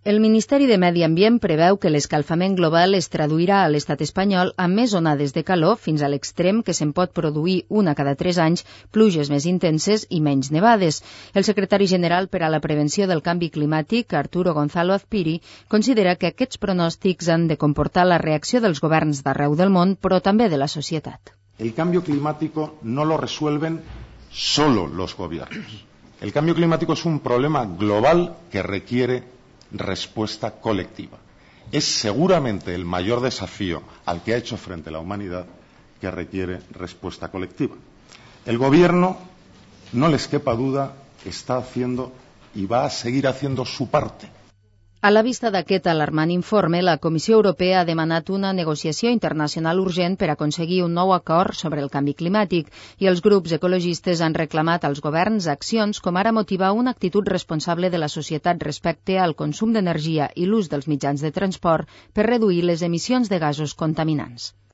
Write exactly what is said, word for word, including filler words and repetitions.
El Ministeri de Medi Ambient preveu que l'escalfament global es traduirà a l'estat espanyol amb més onades de calor fins a l'extrem que se'n pot produir una cada tres anys, pluges més intenses i menys nevades. El secretari general per a la prevenció del canvi climàtic, Arturo Gonzalo Azpiri, considera que aquests pronòstics han de comportar la reacció dels governs d'arreu del món, però també de la societat. El cambio climático no lo resuelven solo los gobiernos. El cambio climático es un problema global que requiere respuesta colectiva. Es seguramente el mayor desafío al que ha hecho frente la humanidad que requiere respuesta colectiva. El Gobierno, no les quepa duda, está haciendo y va a seguir haciendo su parte. A la vista d'aquest alarmant informe, la Comissió Europea ha demanat una negociació internacional urgent per aconseguir un nou acord sobre el canvi climàtic i els grups ecologistes han reclamat als governs accions com ara motivar una actitud responsable de la societat respecte al consum d'energia i l'ús dels mitjans de transport per reduir les emissions de gasos contaminants.